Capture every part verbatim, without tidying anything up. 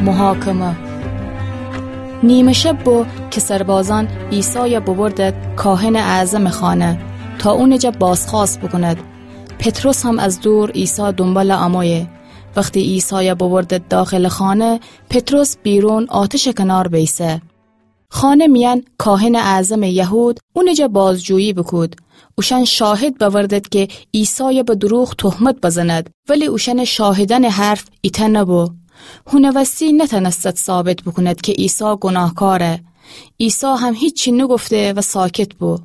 محاکمه. نیمه شب بو که سربازأن عیسایَ ببردد کاهنٚ اعظمٚ خانه تا اونٚ جا بازخوأست بوکوند. پطرس هم از دور عیسی دونبالٚ امویه. وختی عیسایَ ببردد داخلٚ خانه، پطرس بیرون آتشٚ کنار بیسه. خانه میأن کاهنٚ اعظمٚ یهود اونٚ جا بازجویی بوکود. اوشأن شاهد بأوردد که عیسایَ به دروغ تهمت بزند، ولی اوشأنٚ شاهدأنٚ حرف ایتأ نبو. هونه وستی نتأنستد ثابت بوکوند که عیسی گوناهکاره. عیسی هم هیچی نگفته و ساکت بو.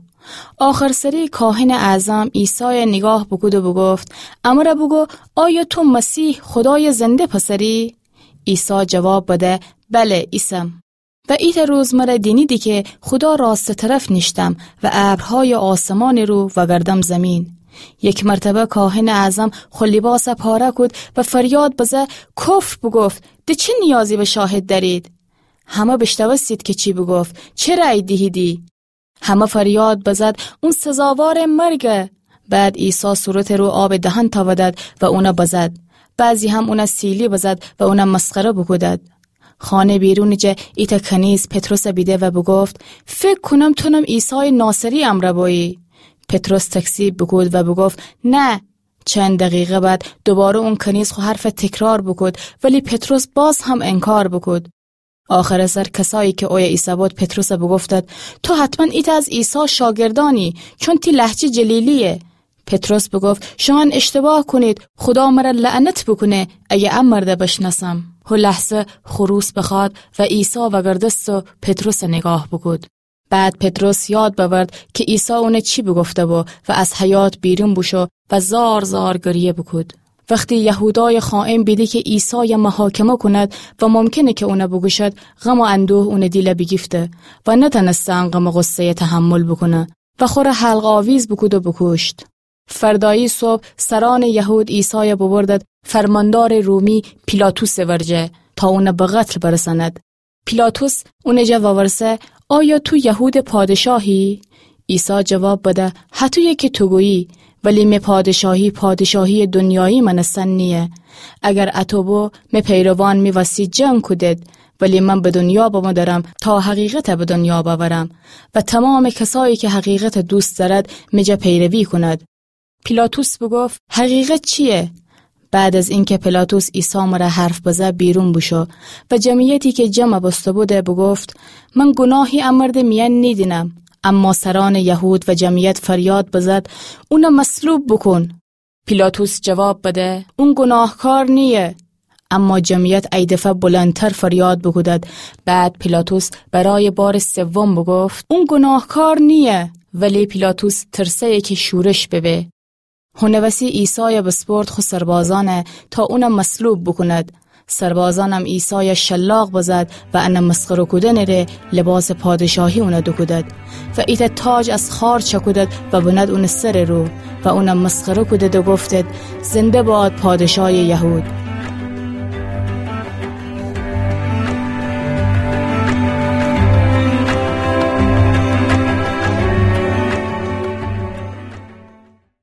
آخرسری کاهنٚ اعظم عیسایَ نیگاه بوکود و بوگفت: امرَ بوگو، آیا تو مسیح، خودایٚ زنده پسری؟ عیسی جواب بده: بله، ایسم. و ایتأ روز مرَ دینیدی که خودا راستٚ طرف نیشتم و ابرهایٚ آسمانٚ رو وگردم زیمین. یک مرتبه کاهنٚ اعظم خو لیباسَ پاره کود و فریاد بزه، کفر بوگفت: ده چه نیازی به شاهد دأرید؟ همه بیشنوستید که چی بوگفت. چه رأی دیهیدی؟ همه فریاد بزد: اون سزاوارٚ مرگه. بعد عیسی صورتٚ رو آبٚ دهن تأودد و اونَ بزد. بعضی هم اونَ سیلی بزد و اونَ مسخره بوکودد. خانه بیرونٚ جا ایتأ کنیز پطرسَ بیده و بوگفت: فکر کونم تونم عیسایٚ ناصری امرَ بویی. پطرس تکذیب بوکود و بوگفت: نه. چند دقیقه بعد دوباره اون کنیز خو حرفَ تکرار بوکود، ولی پطرس باز هم انکار بوکود. آخرٚ سر کسایی که اویه ایسه‌بود پطرسَ بوگفتد: تو حتماً ایتأ از عیسی شاگردأنی، چون تی لهجه جلیلییه. پطرس بوگفت: شومأن اشتباه کونید، خودا مرَ لعنت بوکونه اگه ا مردَ بشنأسم. هو لحظه خروس بخوأد و عیسی وگردست و پطرسَ نیگاه بوکود. بعد پطرس یاد بأورد که عیسی اونَ چی بوگفته‌بو و از حیاط بیرون بوشو و زار زار گریه بوکود. وختی یهودایٚ خائن بیده که عیسایَ محاکمه کونید و ممکنه که اونَ بوکوشید، غم و اندوه اونٚ دیلَ بیگیفته و نتأنسته ان غم و غصه‌یَ تحمل بوکونه و خورَ حلق‌آویز بوکود و بوکوشت. فردایی صبح سرأنٚ یهود عیسایَ بوبردد فرماندارٚ رومی پیلاطسٚ ورجه تا اونَ به قتل برسأند. پیلاطس اونٚ جا وورسه: آیا تو یهودٚ پادشاهی؟ عیسی جواب بده: هطویه که تو گویی، ولی می پادشاهی پادشاهییٚ دونیایی مأنستن نییه. اگر اطو بو، می پیروان می وسی جنگ کودید، ولی من به دونیا بمودرم تا حقیقتَ به دونیا بأورم و تمامٚ کسایی که حقیقتَ دوست دأرد، می جا پیروی کونید. پیلاطس بوگفت: حقیقت چییه؟ بعد از اینکه پیلاطس عیسی مرَ حرف بزه، بیرون بوشو و جمعیتی که جمع بوسته‌بوده بوگفت: من گوناهی ا مردٚ میأن نیدینم. اما سرأنٚ یهود و جمعیت فریاد بزد: اونَ مصلوب بوکون. پیلاطس جواب بده: اون گوناهکار نییه. اما جمعیت ای دفعه بلندتر فریاد بوکودد. بعد پیلاطس برایٚ بارٚ سوم بوگفت: اون گوناهکار نییه. ولی پیلاطس ترسه‌یه که شورش ببه. هونٚ وسی عیسایَ بسپرد خو سربازأن تا اونَ مصلوب بوکوند. سربازأنم عیسایَ شلاق بزد و انه مسخره کودنٚ ره لباسٚ پادشاهی اونَ دوکودد و ایتأ تاج از خار چأکودد و بند اونٚ سرٚ رو و اونَ مسخره کودد و گفتد: زنده باد پادشایٚ یهود.